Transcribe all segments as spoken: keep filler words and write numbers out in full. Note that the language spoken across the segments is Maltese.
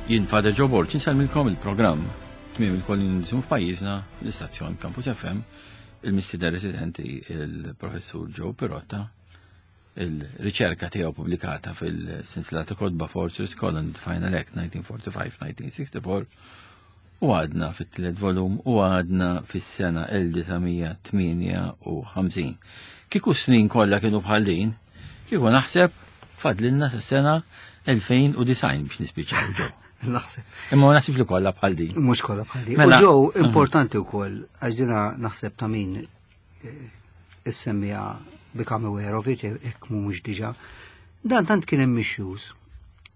Jien Father Joe Borg, insellmilkom il-programm tmiem il-kolonializmu f'pajjiżna, l-istazzjon Campus F M, il-mistieden residenti il-professur Joe Pirotta, il-riċerka tiegħu pubblikata fil-sensila ta' kotba Fortress Colony Final Act elf disa' mija u erbgħa u ħamsin-elf disa' mija u sitta u erbgħin, u għadna fit-tielet volum u għadna fis-sena elf disa' mija u tmienja u ħamsin. Kieku snin kollha kienu bħal din, kieku naħseb fadlilna sas-sena elfejn u disgħin biex nispiċċaw ġew. Naħseb. Imma ma naħsibx li kollha bħal din. Mhux kollha bħal din. Mela- U ġew importanti wkoll għax dina naħseb ta' min eh, issemmija, become aware of it, jekk mhux diġà. Dan tant kien hemm issues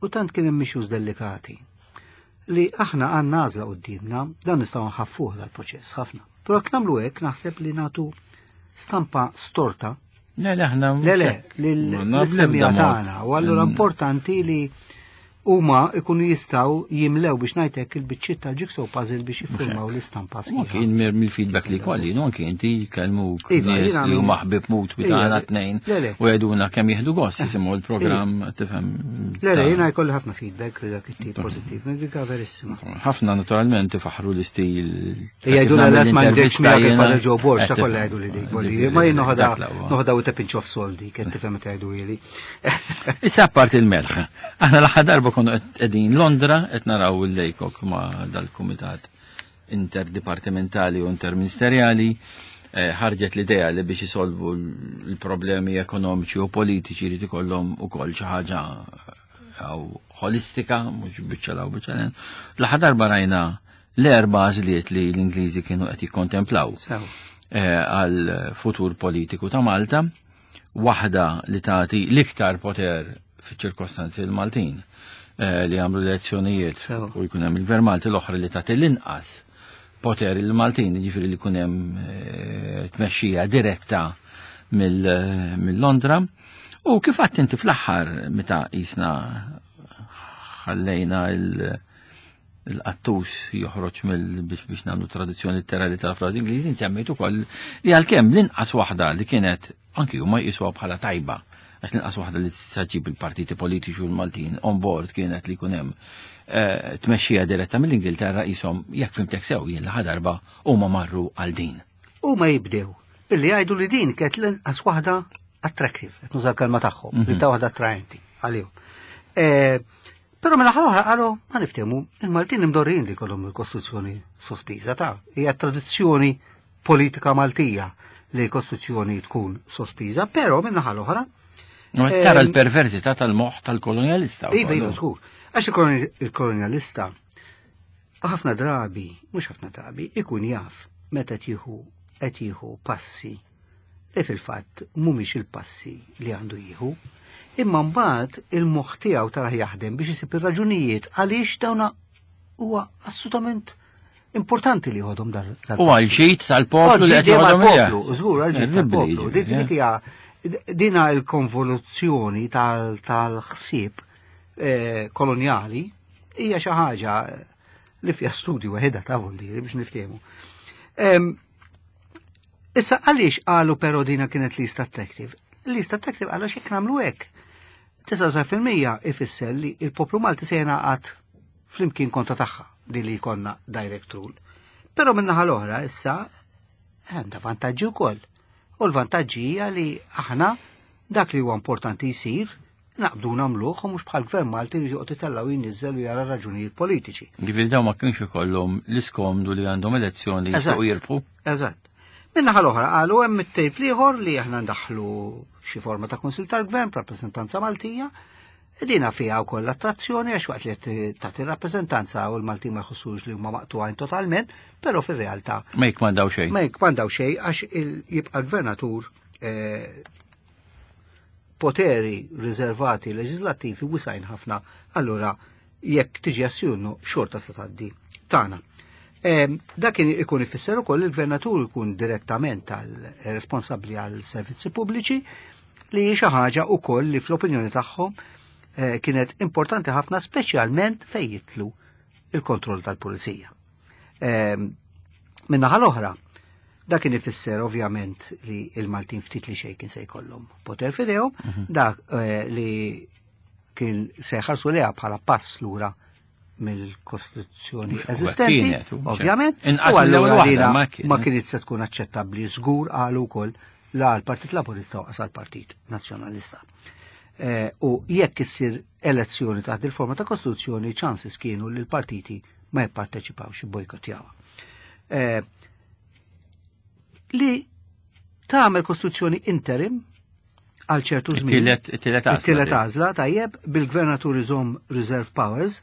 u tant kien hemm issues delikati li aħna għandna għażla qudiemna, dan nistgħu nħaffuh dal-proċess ħafna. Però jekk nagħmlu hekk naħseb li nagħtu stampa storta. Le, le, aħna Le, le, Ma l-semmija nabda mod. tagħna. U allura importanti li huma ikunu jistgħu jimlew, biex ngħidlek, il-biċċiet tal-jigsaw puzzle biex jiffurmaw l-istampa U sħiħa. anki mill-feedback li kolli, no, anki inti kellmuk Iva, nies jiena li min- huma ħbib mut Iva, tagħna tnejn le, le. u jgħiduna kemm jieħdu gost jisimgħu l-programm, tifhem. Le, le, ta' jiena jkolli ħafna feedback li dak it-tip pożittiv, dik verissima. Ħafna naturalment ifaħru l-istil ta' kif Jgħidu nagħmel l ma għandekx l-intervista miegħek jiena. il-Father Joe Borg, ta' Eh, kollha jgħidu li dik, ġifieri, ma jien noħodha dak l-aqwa. noħodha with a pinch of salt dik, qed tifhem meta jgħidu ili. Issa apart il-melħ. Aħna l-aħħar darba konna qegħdin Londra qed naraw il-Laycock ma' dal-kumitat interdipartimentali u interministerjali, eh, ħarġet l-idea li biex isolvu l-problemi ekonomiċi u politiċi li ikollhom ukoll xi ħaġa aw holistika, mhux biċċa law biċċa len. L-aħħar darba rajna l-erba' għażliet li l-Ingliżi kienu qed jikkontemplaw Sew. eh, għal futur politiku ta' Malta, waħda li tagħti l-iktar poter fiċ-ċirkostanzi l-Maltin eh, li għamlu l-elezzjonijiet Sew. u jkun hemm il-Gvern Malti, l-oħra li tagħti l-inqas poter il-Maltin, jiġifieri li jkun hemm eh, tmexxija diretta mill- mill-Londra. U kif għedt inti fl-aħħar meta jisna ħallejna il- il-qattus joħroġ mill biex biex nagħmlu traduzzjoni letterali tal-frażi Ingliżi, nsemmejt ukoll li għalkemm l-inqas waħda li kienet anki huma jqisuha bħala tajba, għax l-inqas waħda li tista' ġġib il-partiti politiċi u l-Maltin on board kienet li jkun hemm eh, tmexxija diretta mill-Ingilterra, qishom, jekk fhimtek sew jien l darba, huma marru għal din. Huma jibdew billi jgħidu li din kienet l-inqas waħda attractive, qed nuża l-kelma tagħhom, li ta' waħda attraenti għalihom. Eh, Però mela oħra qalu ma niftehmu, il-Maltin imdorrin li kollhom il-Kostituzzjoni sospiża, ta' hija tradizzjoni politika Maltija li l-Kostituzzjoni tkun sospiża, però minn naħa l-oħra U qed tara l-perversità tal-moħħ tal-kolonialista Iva, wkoll. iva, żgur. Għax il-koloni- il-kolonialista ħafna drabi, mhux ħafna drabi, ikun jaf meta tieħu qed jieħu passi li fil-fatt mhumiex il-passi li għandu jieħu, imma mbagħad il-moħħ tiegħu tara jaħdem biex isib ir-raġunijiet għaliex dawna huwa assolutament importanti li jħodhom dal dal- U għal ġid tal-poplu li qed joħodhom hija. Poplu, żgur, għal ġid Terribbli, tal-poplu. Dik ġifieri, dik hija dina il-konvoluzzjoni tal- tal-ħsieb eh, koloniali hija xi ħaġa li fiha studju waħedha ta' vuldiri biex niftehmu. Em, Issa għaliex qalu però dina kienet least attractive? Least attractive għaliex jekk nagħmlu hekk, disgħa u disgħin fil-mija ifisser li il-poplu Malti se jingħaqad flimkien kontra tagħha di li jkollna direct rule. Però min-naħa l-oħra issa għandha vantaġġi wkoll. U l-vantaġġi hija li aħna dak li huwa importanti jsir naqbdu nagħmluh u mhux bħal gvern Malti li joqgħod itellgħu jinniżel u jara raġunijiet politiċi. Ġifieri dawn ma kienx ikollhom l-iskomdu li għandhom elezzjoni li Eżatt. jistgħu jirbħu. Eżatt. Min-naħa l-oħra qalu hemm it-tejp ieħor li aħna ndaħlu xi forma ta' kunsil tal-gvern rappreżentanza Maltija. Dina fiha wkoll attrazzjoni għax waqt li qed tagħti rappreżentanza u l-Maltin ma jħossux li huma maqtugħin totalment, però fir-realtà Ma jikmandaw xejn. ma jikmandaw xejn għax il- jibqa' l-gvernatur eh, poteri riservati leġislattivi wisgħin ħafna, allura jekk tiġi assjunnu xorta se tgħaddi tagħna. Em, Dak kien ikun ifisser ukoll il-gvernatur ikun direttament għal responsabbli għal servizzi pubbliċi, li hi xi ħaġa ukoll li fl-opinjoni tagħhom eh, kienet importanti ħafna, speċjalment fejn jidħlu il-kontroll tal-pulizija. Em, Min-naħa l-oħra, dak kien ifisser ovvjament li il-Maltin ftit li xejn kien se jkollhom poter f'idejhom, dak eh, li kien se jħarsu leha bħala pass lura Mill-Kostituzzjoni Mhux eżistenti, kienet, u mhux ovvjament, inqas u mill-ewwel allura waħda, dina ma kienet. Ma kienet se tkun aċċettabbli żgur, qalu wkoll, la għall-Partit Laburista u għall-Partit Nazzjonalista. Eh, u jekk issir elezzjoni taħt il-forma ta' Kostituzzjoni, chances kienu li l-partiti ma jipparteċipawx, bojkottjawha. Eh, li tagħmel Kostituzzjoni interim għal ċertu żmien. It-tielet it-tielet għażla. It-tielet għażla, tajjeb, bil-gvernatur iżomm reserve powers,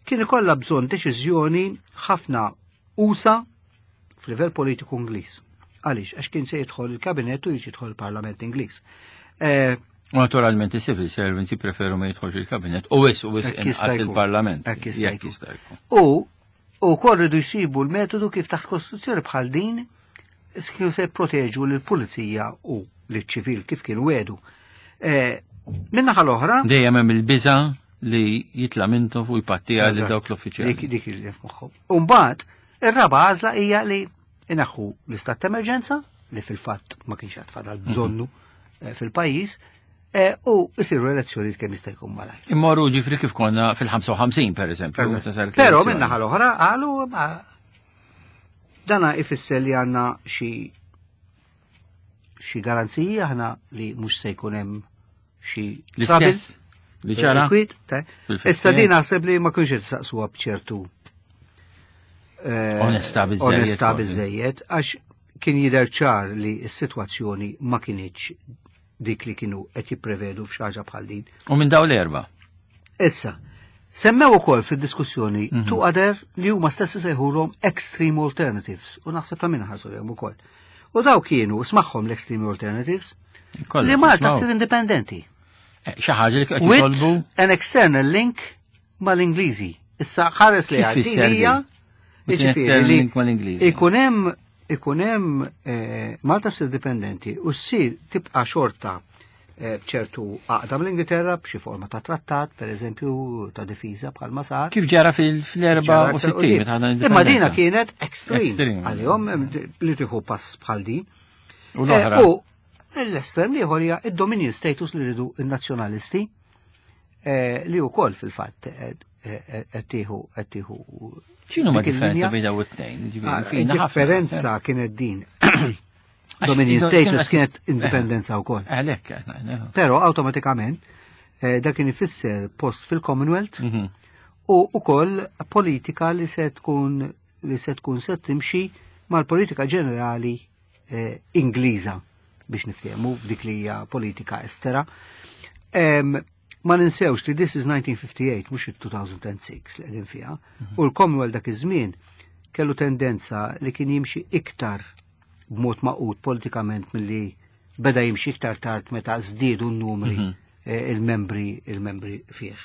kien ikollha bżonn deċiżjoni ħafna usa' f'livell politiku Ingliż. Għaliex? Għax kien se jidħol il-kabinet u jidħol il-Parlament Ingliż. Eh, U naturalment il-civil servants jippreferu ma jidħolx il-kabinet u wis u wis Hekk jista' inqas jkun. il-Parlament. Hekk jista' Jekk jkun. jista' jkun. U u kol rridu jsibu l-metodu kif taħt kostituzzjoni bħal din kienu se jproteġu l-pulizija u l-ċivil kif kienu wedu. Eh, Min-naħa l-oħra, Dejjem hemm il-biża li jitla' Mintoff u jpattija lil Eżatt. dawk l-uffiċjali. Dik dik il moħħhom. Umbagħad, ir-raba għażla hija li inaħħu l-istat ta' emerġenza, li fil-fatt ma kienx għad fadal bżonnu eh, fil-pajjiż, eh, u jsiru elezzjoni kemm jista' jkun malajr. Immorru ġifri kif konna fil-ħamsa u ħamsin per eżempju, meta saret Però l-elezzjoni. min-naħa l-oħra qalu ma dana ifisser li għandna xi xi garanziji aħna li mhux se jkun hemm xi L-istess li ġara Kwit, ta' fil-fifty. Issa din naħseb li ma kienx qed saqsuha b'ċertu eh, Onestà biżżejjed, Onestà forsi. biżejjed, għax kien jidher ċar li s-sitwazzjoni ma kinitx dik li kienu qed jipprevedu f'xi ħaġa bħal din. U minn daw l-erba. Issa, semmew ukoll fid-diskussjoni Mhm. two other li huma stessi sejħulhom extreme alternatives u naħseb ta' min ħarsu lejhom ukoll. U daw kienu smagħhom l-extreme alternatives Kollha, li Malta tismgħu. ssir indipendenti. Eh, Xi ħaġa li qed With jitolbu an external link mal-Ingliżi. Issa ħares li Kif fisser għaddi hija din? With an jiġifieri external li link mal-Ingliżi. Ikun hemm ikun hemm eh, Malta ssir dipendenti u ssir tibqa' xorta eh, b'ċertu għaqda mill-Ingilterra b'xi forma ta' trattat, per eżempju, ta' difiża bħal ma sar. Kif ġara fil-erbgħa u sittin meta ħadna Imma dina l-indipendenza. kienet extreme. Extreme. Għalihom em, li tieħu pass bħal din. U l-oħra. Eh, U l-estrem liħor hija id-dominion status li rridu il-nazzjonalisti eh, li wkoll fil-fatt eh, eh, qed tieħu qed tieħu X'inhu ma dik differenza il-linja. bejn daw it-tnejn? Ġifieri, Ah, fina ħafna. Differenza kienet din. Għax Dominion ido- status kienet- kienet indipendenza wkoll. Għalhekk, eh, Però awtomatikament eh, dak kien ifisser post fil-Commonwealth mhm. u ukoll politika li se tkun li se tkun se timxi mal-politika ġenerali eh, Ingliża biex niftehmu f'dik li hija politika estera. Em, ma ninsewx li this is nineteen fifty-eight, mhux il-two thousand and six li qegħdin fiha, u l-Commonwealth dak iż-żmien kellu tendenza li kien jimxi iktar b'mod magħqud politikament milli beda jimxi iktar tard meta żdiedu n-numri eh, il-membri il-membri fih.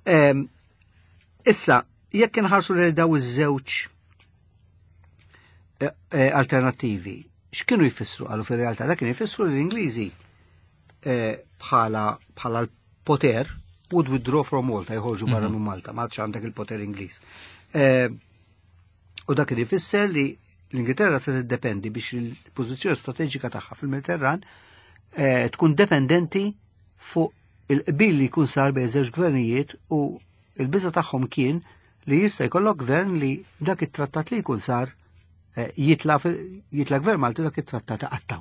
Em, Issa, jekk inħarsu lil daw iż-żewġ eh, eh, alternattivi, x'kienu jfissru għalu fir-realtà? Dak kien jfissru li l-Ingliżi eh, bħala bħala l-poter would withdraw from Malta, jħorġu barra minn Malta, ma għadx għandek il-poter Ingliż. Eh, U dak kien ifisser li l-Ingilterra se tiddependi biex il-pożizzjoni strateġika tagħha fil-Mediterran eh, tkun dependenti fuq il-qbil li jkun sar bejn żewġ gvernijiet u il-biża tagħhom kien li jista' jkollok gvern li dak it-trattat li jkun sar eh, jitla fil- jitla gvern Malti dak it-trattat qattaw.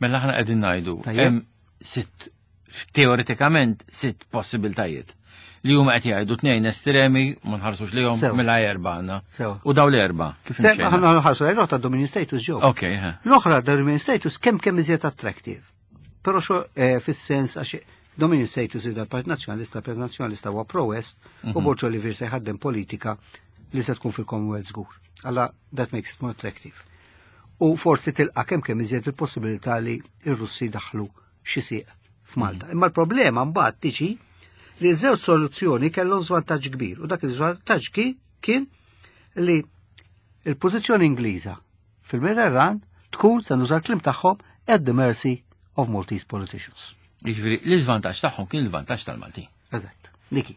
Mela aħna qegħdin ngħidu Tajjeb. hemm sitt, teoretikament sitt possibiltajiet li huma qed jgħidu tnejn estremi ma nħarsux lihom. Sew. Mela erba' għandna. Sew. U daw l-erba' kif Se imxejna? aħna nħarsu lejn ta' Dominion status ġew. Ok, ha. L-oħra Dominion status kemm kemm iżjed attractive. Però xo eh, fis-sens għax Dominion status ida Partit Nazzjonalista, Partit Nazzjonalista huwa pro-West u Borg Olivier se jħaddem politika li se tkun fil-Commonwealth żgur. Alla that makes it more attractive. U forsi tilqa kemm kemm iżjed il-possibilità li r-Russi daħlu xi sieq f'Malta. Imma l-problema mbagħad tiġi li ż-żewġ soluzzjoni kellhom żvantaġġ kbir u dak il-żvantaġġ ki- kien li il-pożizzjoni Ingliża fil-Mediterran tkun, se nuża l-kliem tagħhom, at the mercy of Maltese politicians. Jiġifieri l-iżvantaġġ tagħhom kien il-vantaġġ tal-Maltin. Eżatt. Niki.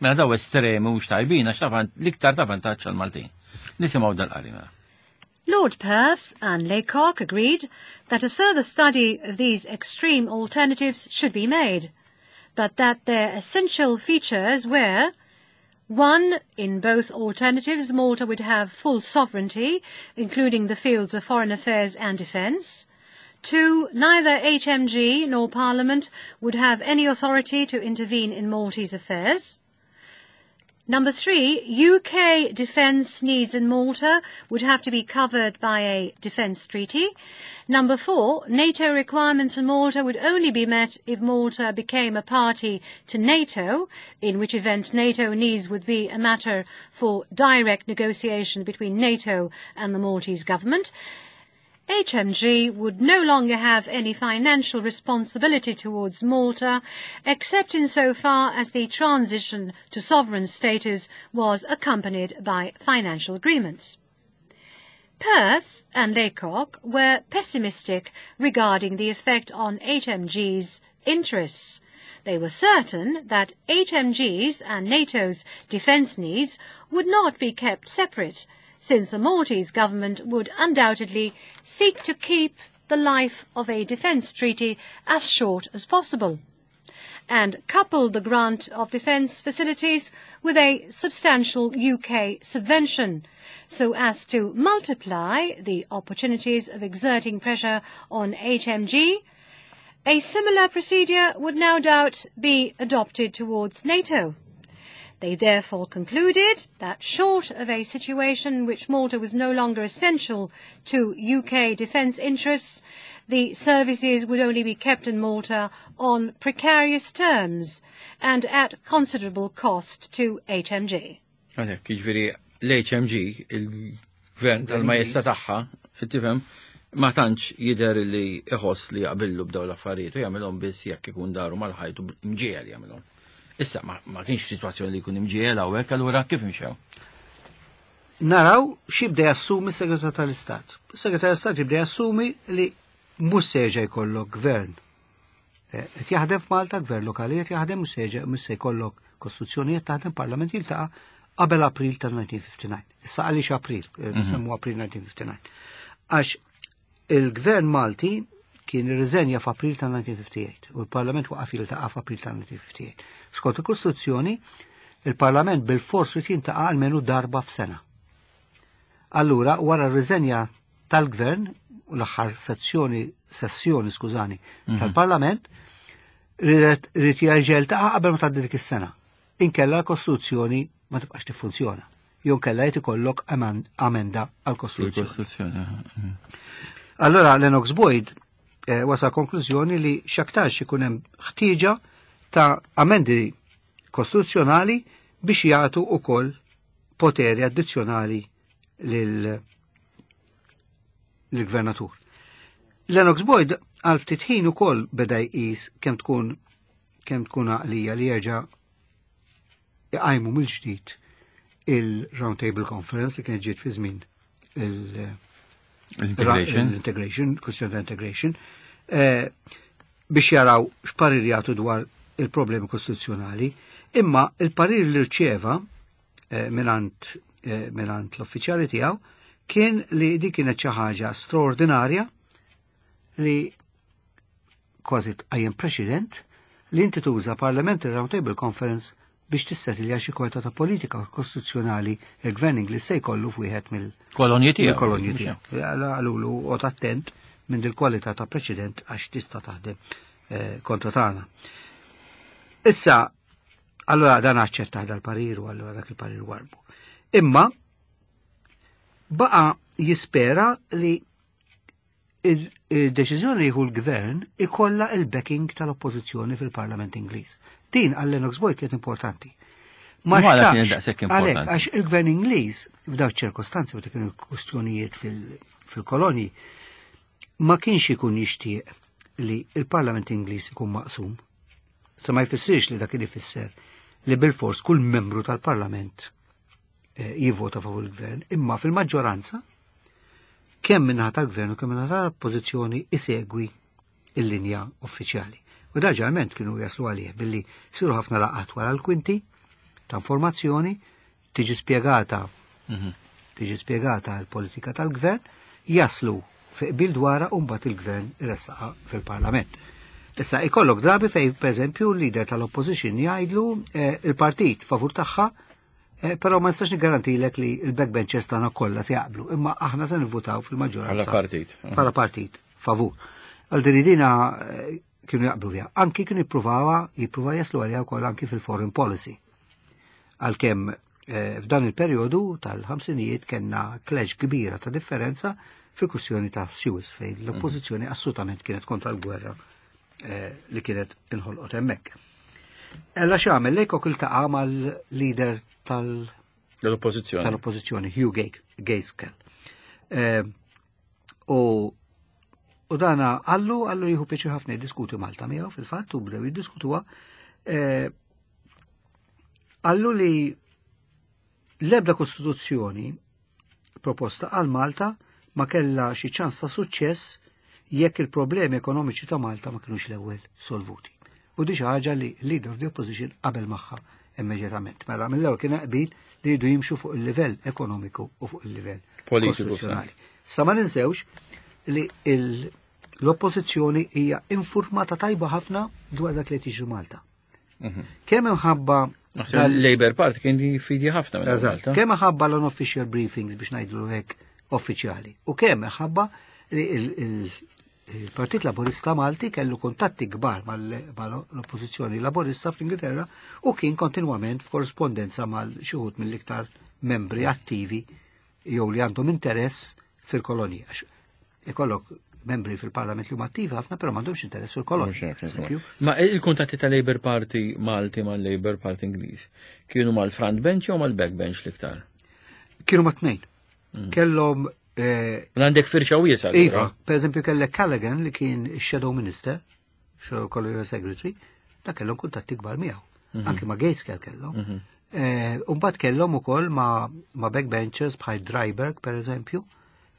Mela daw estremi mhux tajbin għax ta' van- l-iktar ta' vantaġġ għall-Maltin. Nisimgħu dal-qari mela. Lord Perth and Laycock agreed that a further study of these extreme alternatives should be made, but that their essential features were One, in both alternatives, Malta would have full sovereignty, including the fields of foreign affairs and defence. Two, neither H M G nor Parliament would have any authority to intervene in Maltese affairs. Number three, U K defence needs in Malta would have to be covered by a defence treaty. Number four, NATO requirements in Malta would only be met if Malta became a party to NATO, in which event NATO needs would be a matter for direct negotiation between NATO and the Maltese government. H M G would no longer have any financial responsibility towards Malta, except insofar as the transition to sovereign status was accompanied by financial agreements. Perth and Laycock were pessimistic regarding the effect on H M G's interests. They were certain that H M G's and NATO's defence needs would not be kept separate, since the Maltese government would undoubtedly seek to keep the life of a defence treaty as short as possible, and couple the grant of defence facilities with a substantial U K subvention, so as to multiply the opportunities of exerting pressure on H M G. A similar procedure would no doubt be adopted towards NATO. They therefore concluded that short of a situation in which Malta was no longer essential to U K defence interests, the services would only be kept in Malta on precarious terms and at considerable cost to H M G. Għalhekk, jiġifieri l-H M G, il-gvern tal-majesta tagħha, tifhem, ma tantx jidher li iħoss li jaqbillu b'daw l-affarijiet u jagħmilhom biss jekk ikun daru mal-ħajt u mġiegħel jagħmilhom. Issa ma, ma kienx situazzjoni li jkun imġiegħel hawnhekk, allura kif imxew? Naraw x'jibda jassumi s-Segretar tal-Istat. Is-Segretar tal-Istat jibda jassumi li mhux se jerġa' jkollok gvern. Eh, Qed jaħdem f'Malta gvern lokali qed jaħdem, mhux se jerġa' mhux se jkollok kostituzzjonijiet taħdem, parlament jiltaqa' qabel April tal-elf disa' mija u ħamsa u ħamsin. Issa għaliex April, eh, nsemmu April elf disa' mija u ħamsa u ħamsin? Għax il-gvern Malti kien irriżenja f'April tal-elf disa' mija u ħamsa u tmienja u ħamsin u l-Parlament waqaf jiltaqa' f'April tal-elf disa' mija u ħamsa u tmienja u ħamsin. Skont il-Kostituzzjoni, il-Parlament bil-fors irid jiltaqa' almenu darba f'sena. Allura, wara r-riżenja tal-gvern u l-aħħar sezzjoni, sessjoni, skużani, tal-Parlament, ridet irid jerġa' jiltaqa' qabel ma tgħaddi dik is-sena. Inkella l-Kostituzzjoni ma tibqax tiffunzjona. Jew inkella jrid ikollok amen- amenda għall-Kostituzzjoni. Il-Kostituzzjoni. Aha, mhm. Allora Lennox Boyd eh, wasal konklużjoni li xaktarx ikun hemm ħtieġa ta' amendi kostituzzjonali biex jagħtu ukoll poteri addizzjonali lil lill-gvernatur. Lennox Boyd għal ftit ħin ukoll beda jqis kemm tkun kemm tkun għaqlija li jerġa' iqajmu mill-ġdid il-Round Table Conference li kienet ġiet fi żmien il- L-integration. L-integration, kwestjoni ta' integration, eh, biex jaraw x'parir jagħtu dwar il-problemi kostituzzjonali, imma il-parir li rċeva eh, minant eh, minant l-uffiċjali tiegħu kien li di kienet xi ħaġa straordinarja li kważi tqajjem preċedent li inti tuża Parliamentary Round Table Conference biex tissettilja xi kwalità ta' politika kostituzzjonali il-gvern Ingliż se jkollu f'wieħed mill- Kolonji tiegħu. Mill-kolonji tiegħu. Qalulu oqgħod attent minn dil-kwalità ta' preċedent għax tista' taħdem eh, kontra tagħna. Issa, allora dan aċċetta dal-parir u allora dak il-parir warbu. Imma baqa jispera li il-deċiżjoni li jieħu l-gvern ikolla il-backing tal-oppożizzjoni fil-Parlament Ingliż. Din għal Lennox Boyd kienet importanti. Ma U għala xtaqx- kienet daqshekk importanti? Għalhekk, għax il-gvern Ingliż f'dawn ċirkostanzi meta kienu kwistjonijiet fil- fil-kolonji ma kienx ikun jixtieq li il-Parlament Ingliż ikun maqsum. Sa ma jfissirx li dak li ifisser li bil-fors kull membru tal-Parlament eh, jivvota favur il-gvern, imma fil-maġġoranza kemm minnaħa tal-gvern u kemm minnaħa tal-oppożizzjoni isegwi il-linja uffiċjali. U da ġeneralment kienu jaslu għalih billi siru ħafna laqgħat wara l-kwinti ta' informazzjoni, tiġi spjegata tiġi spjegata l-politika tal-gvern, jaslu fi qbil dwarha u mbagħad il-gvern iressaqha fil-Parlament. Issa ikollok drabi fej, per eżempju, l-leader tal-opposition jgħidlu eh, il-partit favur tagħha. Eh, Però ma nistax nigarantilek li il-backbenchers tagħna kollha se jaqblu, imma aħna se nivvutaw fil-maġġoranza. Bħala partit. Bħala partit, favur. Għal din dina eh, kienu jaqblu fiha. Anki kienu jippruvawa, jippruvaw jaslu għaliha wkoll anki fil-foreign policy. Għalkemm eh, f'dan il-perjodu tal-ħamsinijiet kellna clash kbira ta' differenza fil-kwistjoni ta' Suez, fejn l-oppożizzjoni assolutament kienet kontra l-gwerra eh, li kienet inħolqot hemmhekk. Ella x'għamel, Laycock iltaqa' mal-leader tal- L-oppożizzjoni. Tal-oppożizzjoni, Hugh Gaitskell. Eh, U u dana għallu għallu jieħu pjaċir ħafna jiddiskuti Malta miegħu fil-fatt, u bdew jiddiskutuha. Eh, Għallu li l-ebda kostituzzjoni proposta għal Malta ma kella xi ċans ta' suċċess jekk il-problemi ekonomiċi ta' Malta ma kienux l-ewwel solvuti. U di xi ħaġa li leader of the opposition qabel magħha immedjatament. Mela mill-ewwel kien qbil li jridu jimxu fuq il-livell ekonomiku u fuq il-livell Politiku. Kostituzzjonali. Sa ma ninsewx li il- l-oppożizzjoni hija informata tajba ħafna dwar dak li qed jiġri Malta. Kemm imħabba Naħseb il-Labour Party kien fidi ħafna minn Eżatt. Malta. Kemm ħabba l-unofficial briefings, biex ngħidlu hekk, uffiċjali. U kemm ħabba li il- il- il-Partit Laburista Malti kellu kuntatti kbar mal-oppożizzjoni Laburista fl-Ingilterra u kien kontinwament f'korrispondenza mal xi wħud mill-iktar membri attivi jew li għandhom interess fil-kolonija. Għax ikollok membri fil-parlament li huma attivi ħafna, però m'għandhomx interess fil-kolonija. Mhux hekk, Eżempju. Ma il-kuntatti ta' Labour Party Malti mal Labour Party Ingliż kienu mal-front bench jew mal-back bench l-iktar? Kienu ma' tnejn. Kellhom eh, Għandek firxa wiesa. Iva, per eżempju kellek Callaghan li kien Shadow Minister, Shadow Colonial Secretary, da kellhom kuntatti kbar miegħu. Anki ma' Gaitskell kellhom. Eh, Umbagħad kellhom ukoll ma' ma' backbenchers bħal Dryburgh, per eżempju,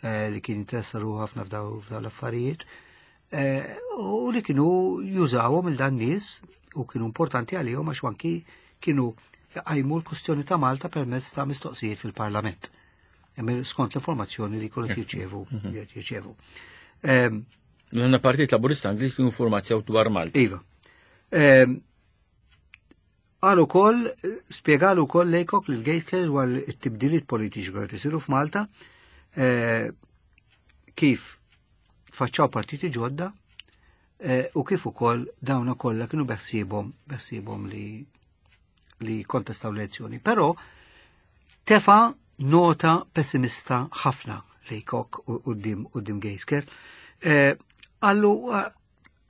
eh, li kien interessa ruħu ħafna f'daw f'daw l-affarijiet, eh, u li kienu jużawhom il dan nies u kienu importanti għalihom għax anki kienu jqajmu l-kustjoni ta' Malta permezz ta' mistoqsijiet fil-Parlament. Emil skont l-informazzjoni li kienu jirċevu. Jirċevu. Ehm, L-għanna Partit Laburista Ingliż li informazzjaw dwar Malta. Iva. Ehm, Għal ukoll, spjegalu wkoll Laycock lil Gaitskell dwar it-tibdiliet politiċi li qed isiru f'Malta, eh, kif faċċaw partiti ġodda eh, u kif ukoll dawna kollha kienu beħsiebhom beħsiebhom li li kontestaw l-elezzjoni. Però tefa nota pessimista ħafna Laycock quddiem quddiem Gaitskell. Eh, Għallu eh,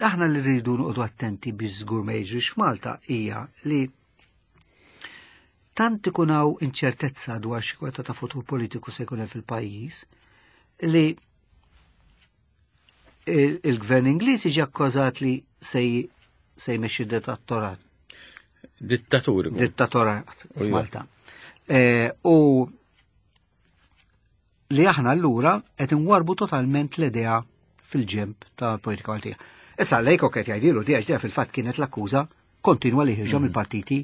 aħna li rridu noqogħdu attenti biex żgur ma jiġrix f'Malta hija li tant ikun hawn inċertezza dwar xi kweta ta' futur politiku se jkun hemm fil-pajjiż li il- il-gvern Ingliż jiġi akkużat li se se jmexxi dittatorat Dittaturi. Dittatorat U iva. f'Malta. Eh, U li aħna allura qed inwarbu totalment l-idea fil-ġemp tal-politika Maltija. Issa Laycock qed jgħidilu di għax fil-fatt kienet l-akkuża kontinwa li ħirġa mill-partiti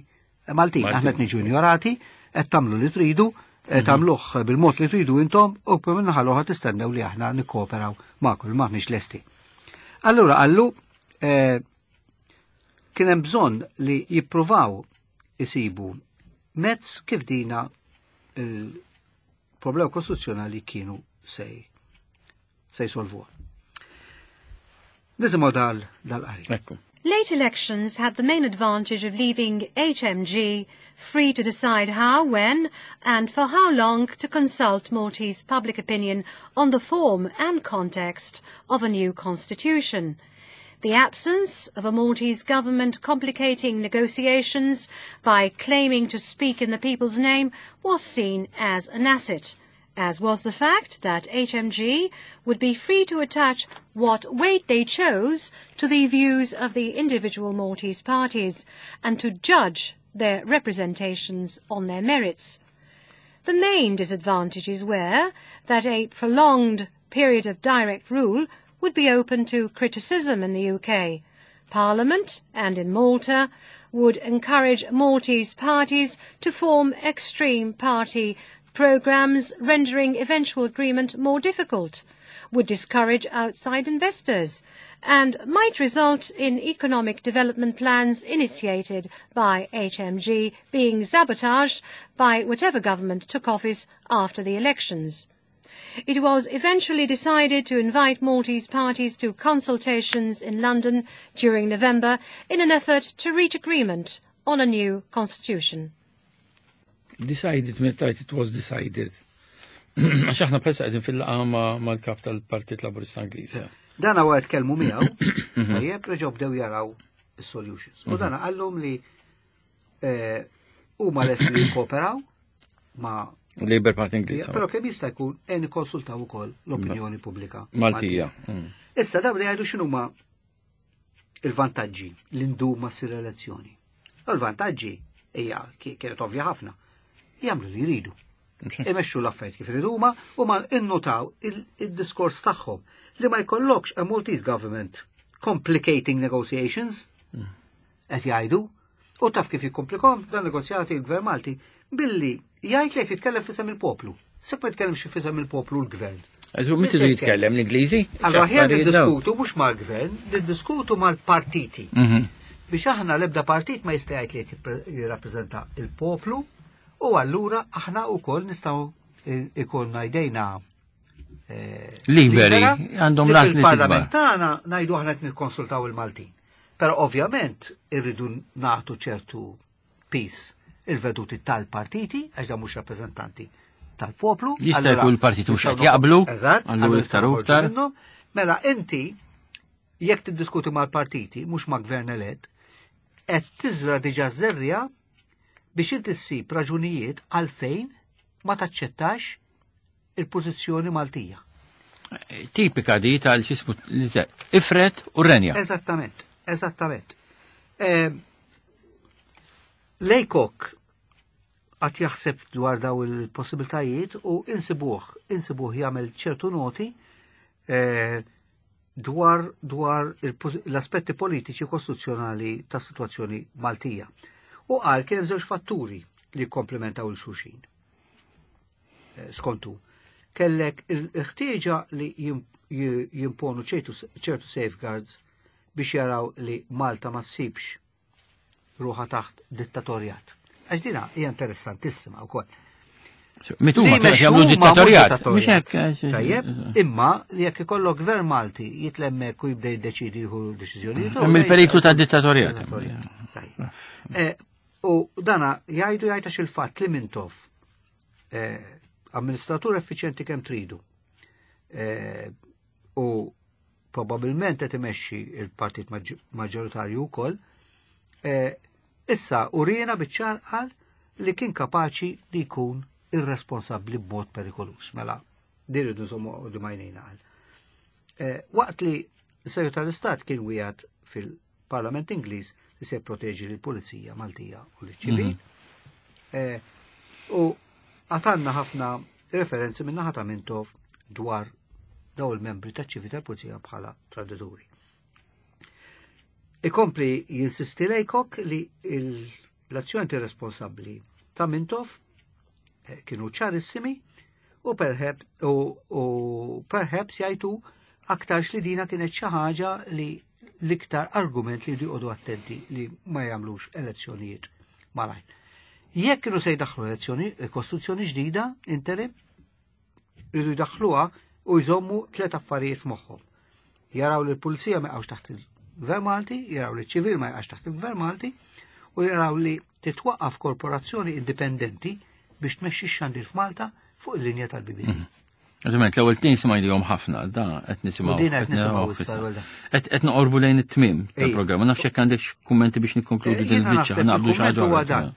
Maltin. Maltin. Aħna qed niġu ignorati, qed tagħmlu li tridu, qed tagħmluh bil-mod li tridu intom u min-naħa l-oħra tistennew li aħna nikkooperaw magħkom, m'aħniex lesti. Allura qallu eh, kien hemm bżonn li jippruvaw isibu mezz kif dina il-problema kostituzzjonali kienu sej se jsolvuha. Nisimgħu dal dal-qari. Ekku. Late elections had the main advantage of leaving H M G free to decide how, when, and for how long to consult Maltese public opinion on the form and context of a new constitution. The absence of a Maltese government complicating negotiations by claiming to speak in the people's name was seen as an asset, as was the fact that H M G would be free to attach what weight they chose to the views of the individual Maltese parties and to judge their representations on their merits. The main disadvantages were that a prolonged period of direct rule would be open to criticism in the U K Parliament and in Malta, would encourage Maltese parties to form extreme party programs, rendering eventual agreement more difficult. would discourage outside investors, and might result in economic development plans initiated by H M G being sabotaged by whatever government took office after the elections. It was eventually decided to invite Maltese parties to consultations in London during November in an effort to reach agreement on a new constitution. Decided, meta it was decided. Għax aħna bħalissa qegħdin fil-laqgħa mal-kap tal-Partit Laburista Ingliż. Dan għu tkellmu miegħu, tajjeb, reġgħu bdew jaraw is-solutions. U dan qallhom li eh, huma lesti li jikkooperaw ma' Labour Party Ingliż. Però kemm jista' jkun e nikkonsultaw ukoll l-opinjoni pubblika Maltija. Mm. Issa dawn li jgħidu x'inhuma il-vantaġġi li ndum ma ssir elezzjoni. U l-vantaġġi hija kienet ovvja ħafna. Jagħmlu li jridu. Imexxu l-affarijiet kif iridu huma u ma innotaw il-diskors tagħhom li ma jkollokx a Maltese government complicating negotiations, qed jgħidu, u taf kif jikkomplikom dan negozjati il-gvern Malti? Billi jgħid li qed jitkellem f'isem il-poplu. Sekk ma jitkellimx f'isem il-poplu l-gvern. Min tridu jitkellem, l-Ingliżi? Allora ħjar niddiskutu mhux mal-gvern, niddiskutu mal-partiti. Mhm. Biex aħna l-ebda partit ma jista' jgħid li qed jirrappreżenta il-poplu u allura aħna wkoll nistgħu ikollna jdejna eh, Liberi, libera għandhom li l-għażliet fil-parlament tagħna ngħidu aħna qed nikkonsultaw il-Maltin. Però ovvjament irridu nagħtu ċertu peace il-veduti tal-partiti, għax dan mhux rappreżentanti tal-poplu. Jista' Allura, jkun il-partiti mhux nistgħu qed jaqblu, Eżatt, allura allura iktar u nistgħu iktar. minnhom. Mela inti jekk tiddiskuti mal-partiti, mhux ma' gvern elett, qed tiżra diġà żerriegħa biex inti ssib raġunijiet għalfejn ma taċċettax il-pożizzjoni Maltija. Tipika di tal-xismu ifred u renja. Eżattament, eżattament. Eh, Laycock għad jaħseb dwar daw il-possibiltajiet u insibuh, insibuh jagħmel ċertu noti eh, dwar, dwar il-posi- l-aspetti politiċi kostituzzjonali ta' situazzjoni Maltija. U qal kien hemm żewġ fatturi li komplementaw il-xulxin. Eh, Skontu, kellek il-ħtieġa li jim- ji- jimponu ċertu ċertu safeguards biex jaraw li Malta ma ssibx ruħa taħt dittatorjat. Għax dina hija interessantissima wkoll. Mitu ma Li kienx jagħmlu jmexxu huma mhux dittatorjat. dittatorjat. Mhux hekk. eh, Tajjeb, imma li jekk ikollok gvern Malti jitlemmek u jibda jiddeċidi jieħu deċiżjonijiet. Hemm il-periklu ta' dittatorjat. Tajjeb. Eh, U dana jgħidu jgħid il-fatt li Mintoff eh, amministratur effiċjenti kemm tridu eh, u probabilment qed imexxi il-partit maġ- maġġoritarju wkoll, eh, issa urina biċ-ċar qal li kien kapaċi li jkun irresponsabbli b'mod perikolus. Mela, din irridu nżommu quddiem għajnejna qal. Eh, Waqt li s-Segretarju tal-Istat kien wieħed fil-Parlament Ingliż li se jproteġi l-Pulizija Maltija u l-ċivil. Eh, U għatanna ħafna referenzi minn naħa ta' Mintoff dwar daw il-membri ta' ċivil tal-Pulizija bħala tradituri. Ikompli jinsisti Laycock li il- l-azzjoni responsabbli ta' Mintoff eh, kienu ċarissimi u perhaps, u, u perhaps jgħidu aktarx li dina kienet xi ħaġa li l-iktar argument li joqogħdu attenti li ma jagħmlux elezzjonijiet malajr. Jekk kienu se jdaħħlu elezzjoni, kostituzzjoni ġdida, interim, rridu jdaħħluha u jżommu tliet affarijiet f'moħħhom. Jaraw li l-pulizija ma jaqgħux taħt il-Gvern Malti, jaraw li ċ-ċivil ma jaqgħux taħt il-Gvern Malti, u jaraw li titwaqqaf korporazzjoni indipendenti biex tmexxi x-xandir f'Malta fuq il-linja tal-B B C. Ovvjament, l-ewwel tnejn smajnihom ħafna, da qed nisimgħu. U din qed nisimgħu issa. issa, l-ewwel da. Qed qed noqorbu lejn it-tmiem Ej. tal-programm. Ma nafx jekk għandek kummenti biex nikkonkludu din Jiena il-biċċa, naħseb naqbdu xi il-kumment ħaġa huwa oħra. dan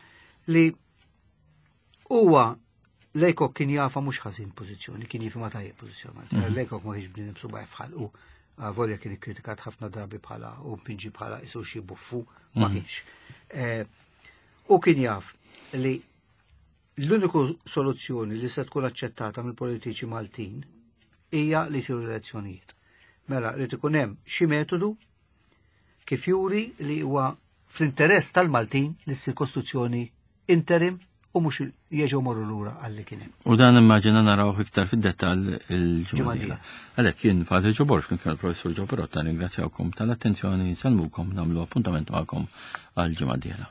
li huwa Laycock kien jafa mhux ħażin pożizzjoni, kien jifhimha tajjeb pożizzjoni. Mm. Laycock ma kienx bniedem subgħajh f'ħalqu. Volja kien ikkritikat ħafna drabi bħala u pinġi bħala isu xi buffu, ma kienx. Eh, U kien jaf li l-uniku soluzzjoni li se tkun aċċettata mill-politiċi Maltin hija li jsiru elezzjonijiet. Mela, li ikun hemm xi metodu kif juri li huwa fl-interess tal-Maltin li ssir kostituzzjoni interim u mhux jerġgħu morru lura għalli kien hemm. U dan immaġina naraw iktar fid-dettall il-ġimgħa dieħla. Għalhekk jien Father Joe Borg, kien il-Professur Joe Perotta, ringrazzjawkom tal-attenzjoni, nsellmukom, nagħmlu appuntament magħkom għal ġimgħa dieħla.